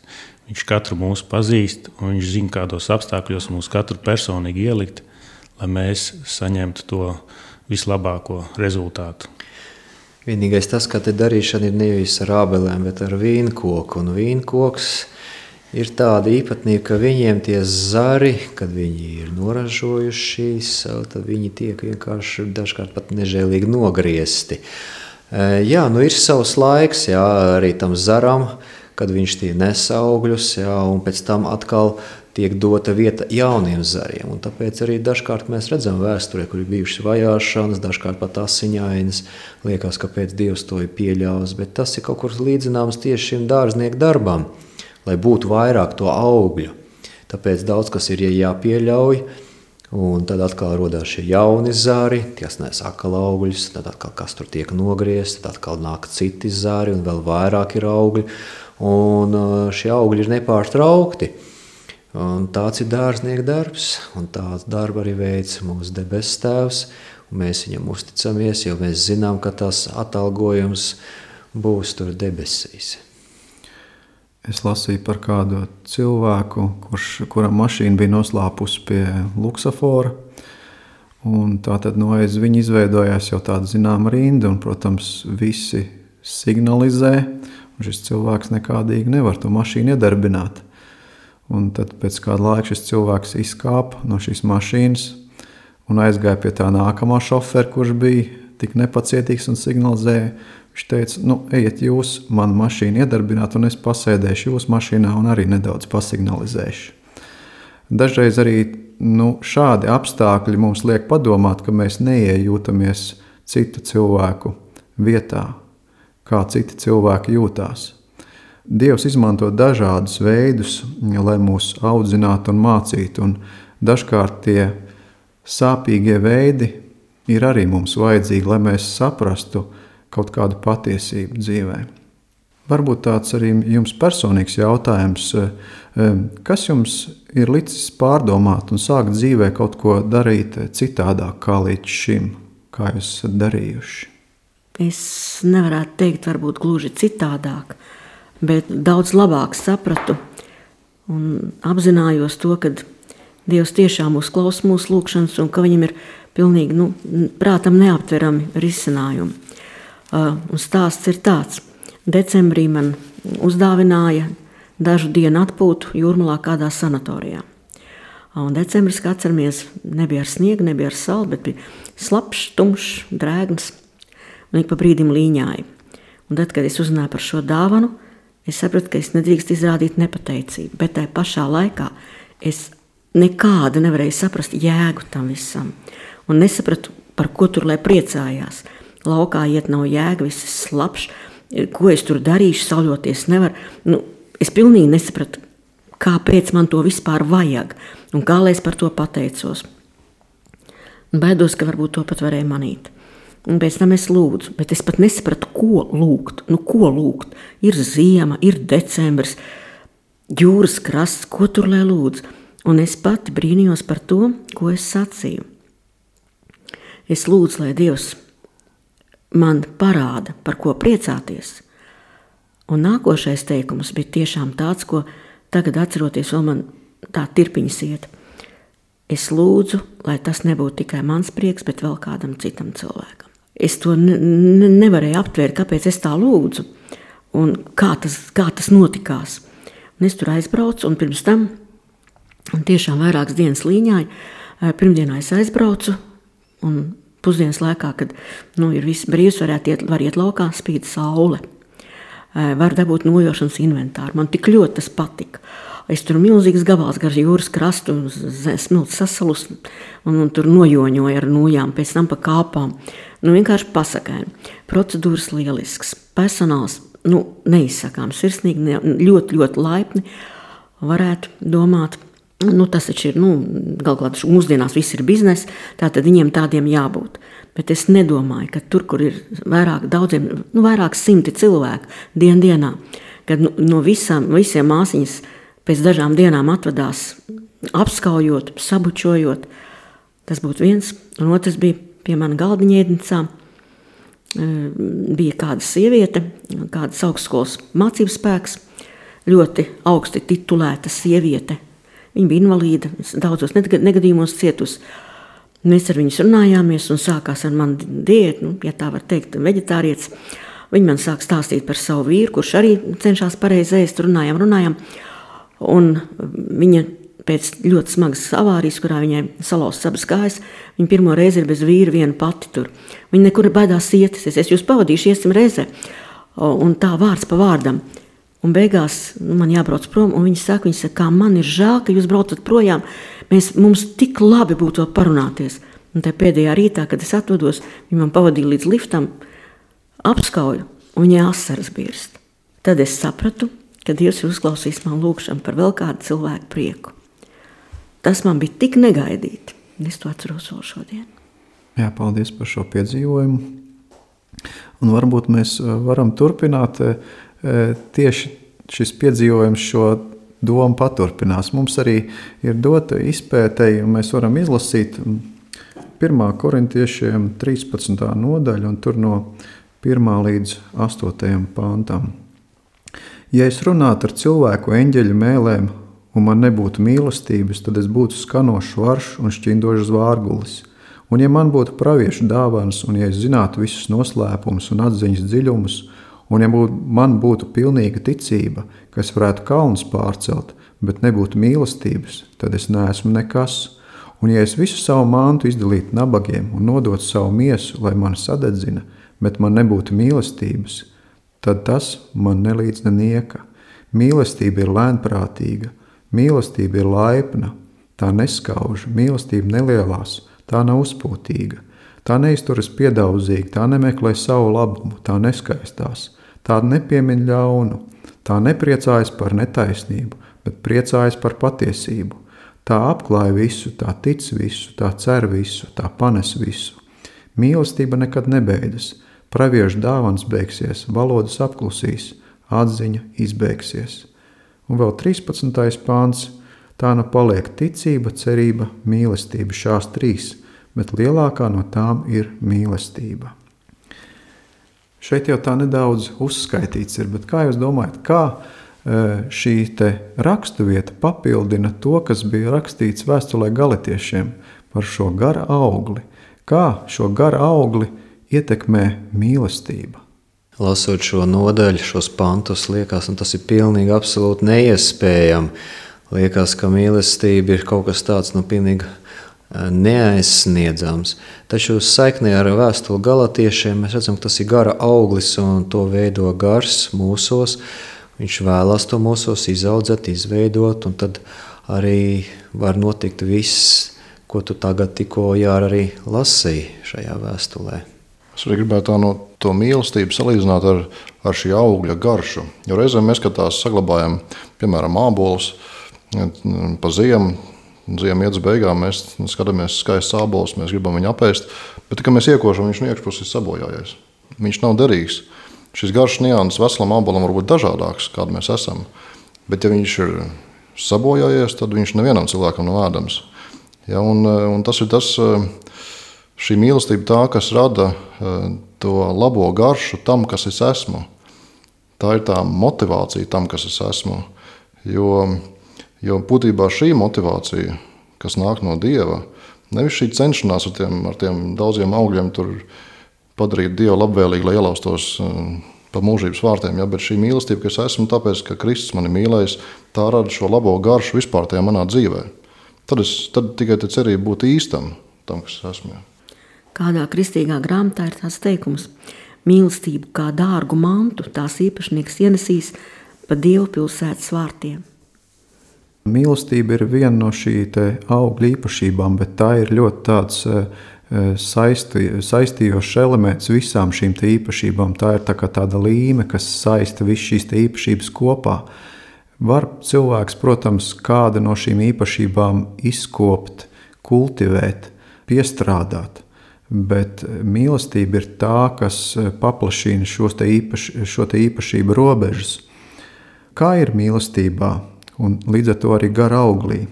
Viņš katru mūsu pazīst, un viņš zina, kādos apstākļos mūs katru personīgi ielikt, lai mēs saņemtu to vislabāko rezultātu. Vienīgais tas, ka te darīšana ir nevis ar ābelēm, bet ar vīnkoku. Un vīnkoks ir tāda īpatnība, ka viņiem tie zari, kad viņi ir noražojuši savu, tad viņi tiek vienkārši dažkārt pat nežēlīgi nogriezti. Jā, nu ir savs laiks, jā, arī tam zaram, kad viņš tie nes augļus, jā, un pēc tam atkal tiek dota vieta jauniem zariem. Un tāpēc arī dažkārt mēs redzam vēsturē, kur ir bijušas vajāšanas, dažkārt pat asiņainas, liekas, kāpēc Dievs to ir pieļāvis, bet tas ir kaut kur līdzināms tieši šim dārznieku darbam, lai būtu vairāk to augļu. Tāpēc daudz kas ir jāpieļauj, un tad atkal rodās šie jauni zari, ties nes atkal augļus, tad atkal kas tur tiek nogriezti, tad atkal nāk citi zari, un vēl vairāk ir augļi. Un šie augļi ir nepārtraukti. Un tāds ir dārznieka darbs, un tāds darba arī veids mūsu debesu Tēvs. Un mēs viņam uzticamies, jo mēs zinām, ka tas atalgojums būs tur debesīs. Es lasīju par kādu cilvēku, kurš, kuram mašīna bija noslāpusi pie luksafora. Un tā tad no aiz viņa izveidojās jau tāda zināma rinda, un, protams, visi signalizē. Šis cilvēks nekādīgi nevar to mašīnu iedarbināt. Un tad pēc kāda laika šis cilvēks izkāpa no šīs mašīnas un aizgāja pie tā nākamā šofera, kurš bija tik nepacietīgs un signalizēja. Viņš teica, nu, ejiet jūs manu mašīnu iedarbināt, un es pasēdēšu jūsu mašīnā un arī nedaudz pasignalizēšu. Dažreiz arī nu, šādi apstākļi mums liek padomāt, ka mēs neiejūtamies citu cilvēku vietā, kā citi cilvēki jūtās. Dievs izmanto dažādus veidus, lai mūs audzinātu un mācītu, un dažkārt tie sāpīgie veidi ir arī mums vajadzīgi, lai mēs saprastu kaut kādu patiesību dzīvē. Varbūt tāds arī jums personīgs jautājums, kas jums ir licis pārdomāt un sākt dzīvē kaut ko darīt citādāk kā līdz šim? kā jūs esat darījuši? Es nevarētu teikt, varbūt gluži citādāk, bet daudz labāk sapratu un apzinājos to, ka Dievs tiešām uzklausa mūsu lūgšanas un ka viņam ir pilnīgi nu, prātam neaptverami risinājumi. Uh, un stāsts ir tāds. Decembrī man uzdāvināja dažu dienu atpūtu Jūrmalā kādā sanatorijā. Un decembris, kā atceramies, nebija ar sniegu, nebija ar sauli, bet bija slapšs, tumšs, drēgns un ik pa brīdim līņāja. Un tad, kad es uzzināju par šo dāvanu, es sapratu, ka es nedrīkst izrādīt nepateicību, bet tajā pašā laikā es nekādu nevarēju saprast jēgu tam visam. Un nesapratu, par ko tur lai priecājās. Laukā iet nav jēga, viss ir slapšs, ko es tur darīšu, sauļoties nevar. Nu, es pilnīgi nesapratu, kāpēc man to vispār vajag un kā lai es par to pateicos. Un baidos, ka varbūt to pat varēja manīt. Un pēc tam es lūdzu, bet es pat nesapratu, ko lūgt. Nu, ko lūgt? Ir ziema, ir decembris, jūras krasts, ko tur lai lūdzu? Un es pati brīnījos par to, ko es sacīju. Es lūdzu, lai Dievs man parāda, par ko priecāties. Un nākošais teikums bija tiešām tāds, ko tagad atceroties, vēl man tā tirpiņas iet. Es lūdzu, lai tas nebūtu tikai mans prieks, bet vēl kādam citam cilvēkam. Es to ne, ne, nevarēju aptvērt, kāpēc es tā lūdzu un kā tas, kā tas notikās. Un es tur aizbraucu un pirms tam un tiešām vairākas dienas līņāja. Pirmdienā es aizbraucu un pusdienas laikā, kad nu, ir viss brīvs, varētu iet, var iet laukā, spīd saule. Var dabūt nojošanas inventāru. Man tik ļoti tas patika. Es tur milzīgs gabals gar jūras krastu, smilts sasalus un, un tur nojoņoju ar nojām, pēc tam pa kāpām. Nu, vienkārši pasakaini. Procedūras lielisks. Personāls, nu, neizsakām sirsnīgi, ne, ļoti, ļoti laipni. Varētu domāt, nu, tas taču ir, nu, galvā mūsdienās viss ir biznes, tātad viņiem tādiem jābūt. Bet es nedomāju, ka tur, kur ir vairāk daudziem, nu, vairāk simti cilvēku dien dienā, kad nu, no visām, visiem māsiņas pēc dažām dienām atvadās apskaujot, sabučojot, tas būtu viens. Un otrs bija pie mana galdiņa ēdnicā, bija kāda sieviete, kādas augstskolas mācības spēks, ļoti augsti titulēta sieviete. Viņa bija invalīda, daudzos negadījumos cietusi. Mēs ar viņus runājāmies un sākās ar mani diētu, nu, ja tā var teikt, veģetārietis. Viņa man sāk stāstīt par savu vīru, kurš arī cenšas pareizi ēst, runājām, runājām. Un viņa pēc ļoti smagas avārijas, kurā viņai salauzts abas kājas, viņa pirmo reizi ir bez vīra viena pati tur. Viņa nekur baidās iet, es, es jūs pavadīšu, iesim reizē. Un tā vārds pa vārdam. Un beigās nu, man jābrauc prom, un viņi saka, viņi saka, kā man ir žēl, ka jūs braucat projām, mēs, mums tik labi būtu vēl parunāties. Un tā pēdējā rītā, kad es atvados, viņi man pavadīja līdz liftam, apskauju, un viņai asaras birst. Tad es sapratu, ka Dievs ir uzklausījis man lūgšanu par vēl kādu cilvēku prieku. Tas man bija tik negaidīti, un es to atceros vēl šodien. Jā, paldies par šo piedzīvojumu. Un varbūt mēs varam turpināt. Tieši šis piedzīvojums šo domu paturpinās. Mums arī ir dota izpētei, un mēs varam izlasīt pirmā korintiešiem trīspadsmitā nodaļa, un tur no pirmā līdz astotajam pantam. Ja es runātu ar cilvēku eņģeļu mēlēm, un man nebūtu mīlestības, tad es būtu skanošs varš un šķindošs vārgulis. Un ja man būtu praviešu dāvanas, un ja es zinātu visus noslēpumus un atziņas dziļumus, un ja būt, man būtu pilnīga ticība, ka es varētu kalnus pārcelt, bet nebūtu mīlestības, tad es neesmu nekas. Un ja es visu savu mantu izdalītu nabagiem un nodotu savu miesu, lai mani sadedzina, bet man nebūtu mīlestības, tad tas man nelīdz nenieka. Mīlestība ir lēnprātīga, mīlestība ir laipna, tā neskauž, mīlestība nelielās, tā nav uzpūtīga. Tā neizturas piedaudzīgi, tā nemeklē savu labumu, tā neskaistās. Tā nepiemin ļaunu, tā nepriecājas par netaisnību, bet priecājas par patiesību. Tā apklāja visu, tā tic visu, tā cer visu, tā panes visu. Mīlestība nekad nebeidzas, praviešu dāvans beigsies, valodas apklusīs, atziņa izbeigsies. Un vēl trīspadsmitais pāns, tā nu paliek ticība, cerība, mīlestība, šās trīs, bet lielākā no tām ir mīlestība. Šeit jau tā nedaudz uzskaitīts ir, bet kā jūs domājat, kā šī te raksturvieta papildina to, kas bija rakstīts vēstulē Galatiešiem par šo gara augli? Kā šo gara augli ietekmē mīlestība? Lasot šo nodaļu, šos pantus, liekas, un tas ir pilnīgi absolūti neiespējami. Liekas, ka mīlestība ir kaut kas tāds, nu, pilnīgi neaizsniedzams. Taču saiknē ar vēstuli Galatiešiem mēs redzam, ka tas ir gara auglis un to veido gars mūsos. Viņš vēlās to mūsos izaudzēt, izveidot, un tad arī var notikt viss, ko tu tagad tikko jā, arī lasīji šajā vēstulē. Es arī gribētu tā no to mīlestību salīdzināt ar, ar šī augļa garšu. Jo reizēm mēs, kad tās saglabājam, piemēram, ābolus pa ziemu, ziemu iet uz beigām, mēs skatāmies skaists ābols, mēs gribam viņu apēst, bet tikai mēs iekošam, viņš no iekšpuses ir sabojājies. Viņš nav derīgs. Šis garš nianses veselam ābolam var būt dažādāks, kādu mēs esam, bet ja viņš ir sabojājies, tad viņš nevienam cilvēkam nav ēdams. Ja, un, un tas ir tas, šī mīlestība tā, kas rada to labo garšu tam, kas es esmu. Tā ir tā motivācija tam, kas es esmu. Jo, jo būtībā šī motivācija, kas nāk no Dieva, nevis šī cenšanās ar tiem, ar tiem daudziem augļiem tur padarīt Dievu labvēlīgi, lai ielaustos pa mūžības vārtiem, ja, bet šī mīlestība, kas esmu, tāpēc, ka Kristus mani mīlējis, tā rada šo labo garšu vispār tajā manā dzīvē. Tad, es, tad tikai te cerība būt īstam tam, kas esmu. Ja. Kādā kristīgā grāmatā ir tāds teikums: mīlestību kā dārgu mantu tās īpašnieks ienesīs pa Dievu pilsētas vārtiem. Mīlestība ir viena no šī te augļa īpašībām, bet tā ir ļoti tāds saisti, saistījošs elements visām šīm te īpašībām. Tā ir tā kā tāda līme, kas saista visu šīs te īpašības kopā. Var cilvēks, protams, kāda no šīm īpašībām izkopt, kultivēt, piestrādāt, bet mīlestība ir tā, kas paplašina šos te īpaš, šo te īpašību robežas. Kā ir mīlestībā un līdz ar to arī gara auglī?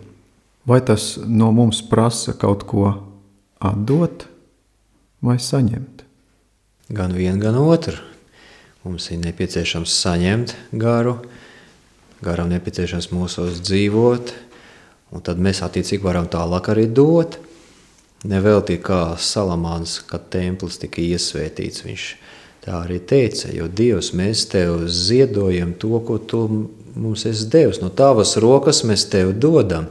Vai tas no mums prasa kaut ko atdot vai saņemt? Gan vienu, gan otru. Mums ir nepieciešams saņemt garu, garam nepieciešams mūsos dzīvot, un tad mēs attiecīgi varam tālāk arī dot. Nevelti kā Salamāns, kad templis tika iesvētīts, viņš tā arī teica, jo Dievs, mēs tev ziedojam to, ko tu mums esi devis. No tavas rokas mēs tev dodam.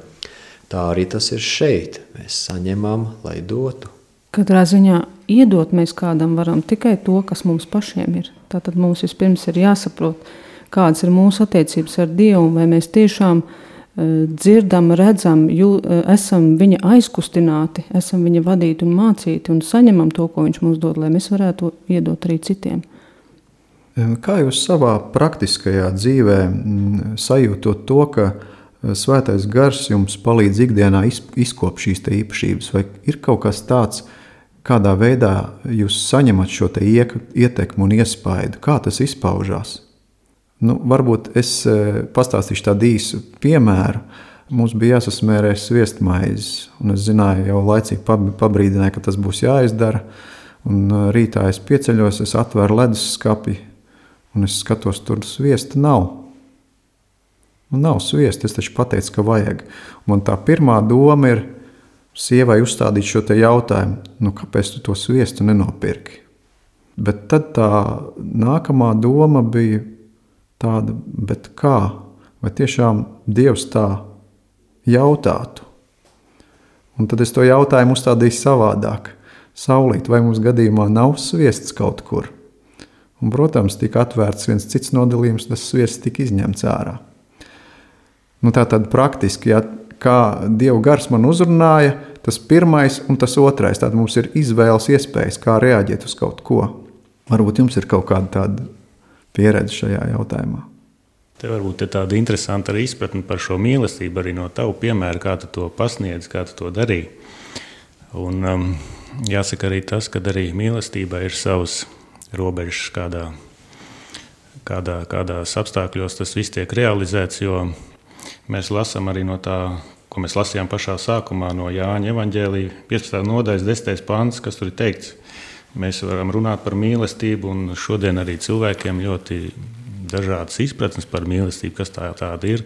Tā arī tas ir šeit. Mēs saņemam, lai dotu. Katrā ziņā iedot mēs kādam varam tikai to, kas mums pašiem ir. Tātad mums vispirms ir jāsaprot, kādas ir mūsu attiecības ar Dievu, vai mēs tiešām uh, dzirdam, redzam, jū, uh, esam viņa aizkustināti, esam viņa vadīti un mācīti un saņemam to, ko viņš mums dod, lai mēs varētu iedot arī citiem. Kā jūs savā praktiskajā dzīvē sajūtot to, ka Svētais Gars jums palīdz ikdienā izkopt šīs te īpašības, vai ir kaut kas tāds, kādā veidā jūs saņemat šo te ietekmu un iespaidu? Kā tas izpaužās? Nu, varbūt es pastāstīšu tādu īsu piemēru. Mums bija jāsasmērē sviestmaizes, un es zināju, jau laicīgi pabrīdināju, ka tas būs jāizdara. Un rītā es pieceļos, es atveru leduskapi, un es skatos, tur sviesta nav. Un nav sviesta, es taču pateicu, ka vajag. Man tā pirmā doma ir sievai uzstādīt šo te jautājumu, nu kāpēc tu to sviestu nenopirki? Bet tad tā nākamā doma bija tāda, bet kā? Vai tiešām Dievs tā jautātu? Un tad es to jautājumu uzstādīju savādāk. Saulīt, vai mums gadījumā nav sviests kaut kur? Un, protams, tika atvērts viens cits nodalījums, tas sviests tika izņemts ārā. Nu, tā tad praktiski, ja, kā Dieva gars man uzrunāja, tas pirmais un tas otrais. Tātad mums ir izvēles iespējas, kā reaģēt uz kaut ko. Varbūt jums ir kaut kāda tāda pieredze šajā jautājumā. Te varbūt ir tāda interesanta arī izpratne par šo mīlestību, arī no tavu piemēra, kā tu to pasniedz, kā tu to darīji. Un um, jāsaka arī tas, ka arī mīlestībā ir savas robežas, kādā, kādā, kādās apstākļos tas viss tiek realizēts, jo mēs lasām arī no tā ko mēs lasījām pašā sākumā no Jāņa evaņģēlija piecpadsmitā nodaļas desmitais pants, kas tur ir teikts. Mēs varam runāt par mīlestību, un šodien arī cilvēkiem ļoti dažādas izpratnes par mīlestību, kas tā tāda ir.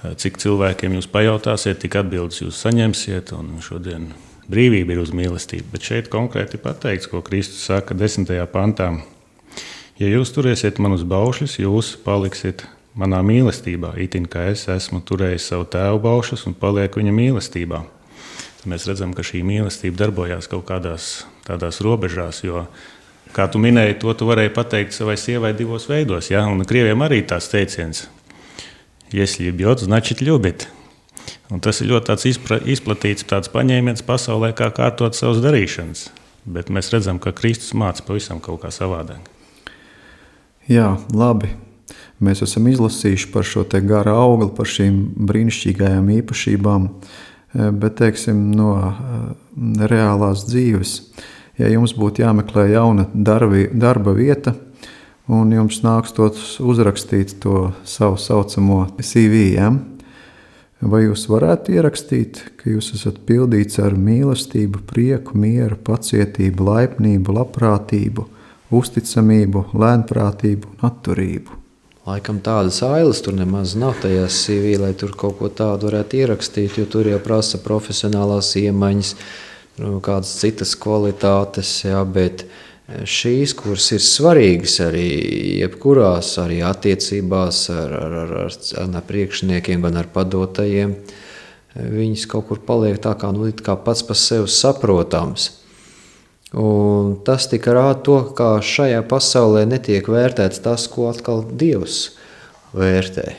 Cik cilvēkiem jūs pajautāsiet, tik atbildes jūs saņemsiet, un šodien brīvība ir uz mīlestību. Bet šeit konkrēti pateikts, ko Kristus saka desmitajā pantā. Ja jūs turēsiet manus baušļus, jūs paliksiet manā mīlestībā, itin kā es esmu turējis savu tēvu baušļus un palieku viņa mīlestībā. Tad mēs redzam, ka šī mīlestība darbojās kaut kādās tādās robežās, jo, kā tu minēji, to tu varēji pateikt savai sievai divos veidos, ja? Un krieviem arī tās teiciens. Если любит, значит любит. Un tas ir ļoti tāds izpra, izplatīts tāds paņēmiens pasaulē, kā kārtot savas darīšanas. Bet mēs redzam, ka Kristus māca pavisam kaut kā savādāk. Jā, labi. Mēs esam izlasījuši par šo te gara augli, par šīm brīnišķīgajām īpašībām, bet, teiksim, no reālās dzīves, ja jums būtu jāmeklē jauna darbi, darba vieta, un jums nākstot uzrakstīt to savu saucamo C V, ja? Vai jūs varētu ierakstīt, ka jūs esat pildīts ar mīlestību, prieku, mieru, pacietību, laipnību, labprātību, uzticamību, lēnprātību un atturību? Laikam tādas ailes tur nemaz nav tajā C V, lai tur kaut ko tādu varētu ierakstīt, jo tur jau prasa profesionālās iemaņas, kādas citas kvalitātes, jā, bet šīs, kuras ir svarīgas arī jebkurās, arī attiecībās ar, ar, ar, ar, ar priekšniekiem, gan ar padotajiem, viņas kaut kur paliek tā kā, nu, kā pats par sevi saprotams. Un tas tika rāda to, ka šajā pasaulē netiek vērtēts tas, ko atkal Dievs vērtē.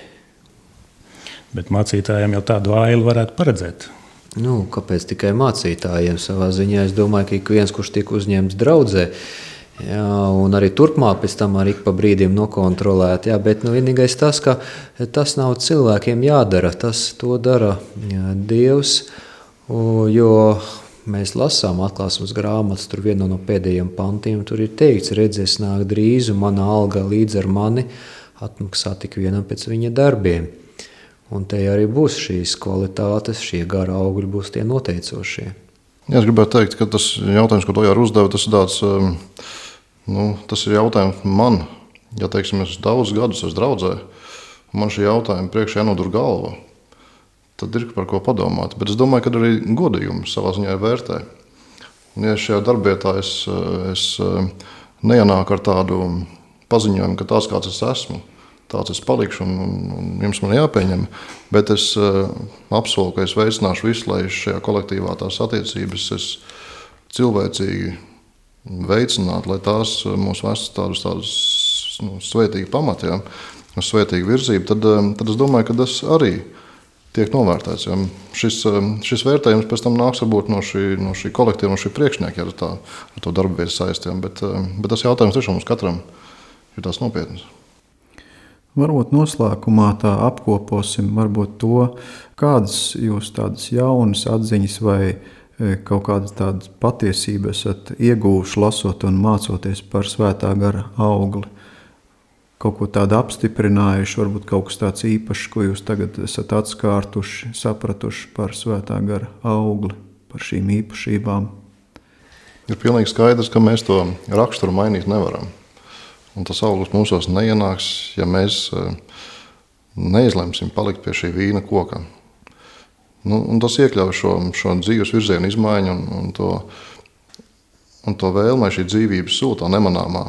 Bet mācītājiem jau tādu ailu varētu paredzēt. Nu, kāpēc tikai mācītājiem savā ziņā? Es domāju, ka ik viens, kurš tika uzņemts draudzē, jā, un arī turpmāk pēc tam arī pa brīdiem nokontrolēt. Jā, bet nu, vienīgais tas, ka tas nav cilvēkiem jādara, tas to dara jā, Dievs, jo mēs lasām atklāsmes grāmatas, tur viena no pēdējiem pantiem, tur ir teikts, redzies nāk drīz, un mana alga līdz ar mani atmaksā tik vienam pēc viņa darbiem. Un te arī būs šīs kvalitātes, šie gara augļi būs tie noteicošie. Jā, es gribētu teikt, ka tas jautājums, ko Tojāra uzdeva, tas ir tāds, nu, tas ir jautājums man, ja teiksim, es daudz gadus esmu draudzē, un man šī jautājuma priekšā jānodur galva, tad ir par ko padomāt. Bet es domāju, ka arī godījumu savā ziņā vērtē. Un ja šajā darbietā es, es neienāku ar tādu paziņojumu, ka tāds, kāds es esmu, tāds es palikšu un, un, un jums man jāpieņem, bet es apsolu, ka es veicināšu visu, lai šajā kolektīvā tās attiecības es cilvēcīgi veicinātu, lai tās mūs vestu tādus, tādus nu, svētīgi pamati, ja, uz svētīgu virzību, tad, tad es domāju, ka tas arī tiek novērtēts. Ja. Šis, šis vērtējums pēc tam nāks varbūt no šī, no šī kolektīva, no šī priekšnieka, ja ar, tā, ar to darbu vietu saistiem, bet, bet tas jautājums tiešām mums katram ir tās nopietnas. Varbūt noslēgumā tā apkoposim varbūt to, kādas jūs tādas jaunas atziņas vai kaut kādas tādas patiesības esat ieguvuši lasot un mācoties par svētā gara augli. Kaut ko tādu apstiprinājuši, varbūt kaut kas tāds īpašs, ko jūs tagad esat atskārtuši, sapratuši par svētā gara augli, par šīm īpašībām. Ir pilnīgi skaidrs, ka mēs to raksturu mainīt nevaram. Un tas auglis mūsos neienāks, ja mēs neizlemsim palikt pie šī vīna koka. Nu, un tas iekļauj šo, šo dzīves virzienu izmaiņu un, un, to, un to vēlmē šī dzīvības sūtā nemanāmā.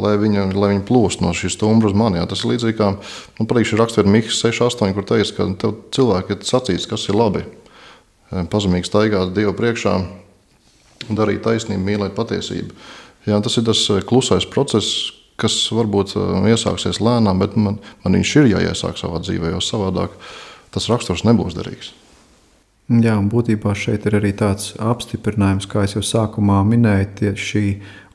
Lai viņa, lai viņa plūst no šīs stumbra uz mani. Jā, tas ir līdzīgi kā, nu, parīkši rakstver Mihas seši astoņi, kur teiks, ka tev cilvēki ir sacīts, kas ir labi. Pazemīgi staigāt Dievu priekšā, darīt taisnību, mīlēt patiesību. Jā, tas ir tas klusais process, kas varbūt iesāksies lēnām, bet man, man viņš ir jāiesāk savā dzīvē, jo savādāk tas raksturs nebūs derīgs. Jā, un būtībā šeit ir arī tāds apstiprinājums, kā es jau sākumā minēju, tie šī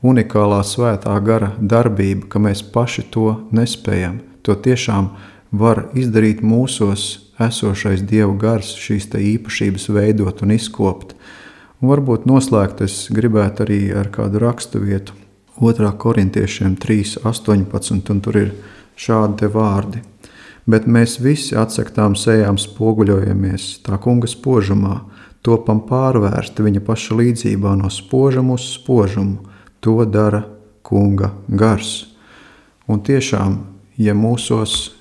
unikālā svētā gara darbība, ka mēs paši to nespējam. To tiešām var izdarīt mūsos esošais Dieva gars, šīs te īpašības veidot un izkopt. Un varbūt noslēgt es gribētu arī ar kādu rakstu vietu, otrā korintiešiem trīs astoņpadsmit, un tur ir šādi te vārdi. bet mēs visi atsaktām sejām spoguļojamies tā kunga spožumā, topam pārvērsti viņa paša līdzībā no spožuma uz spožumu. To dara kunga gars. Un tiešām, ja mūsos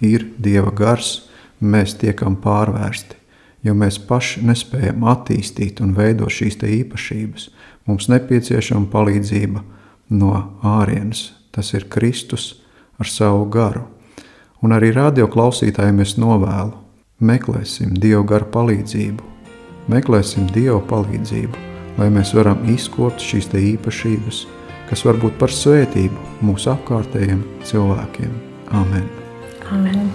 ir Dieva gars, mēs tiekam pārvērsti, jo mēs paši nespējam attīstīt un veidot šīs te īpašības. Mums nepieciešama palīdzība no ārienes. Tas ir Kristus ar savu garu. Un arī radio klausītājiem es novēlu, meklēsim Dieva garu palīdzību, meklēsim Dieva palīdzību, lai mēs varam izkopt šīs te īpašības, kas var būt par svētību mūsu apkārtējiem cilvēkiem. Amen. Amen.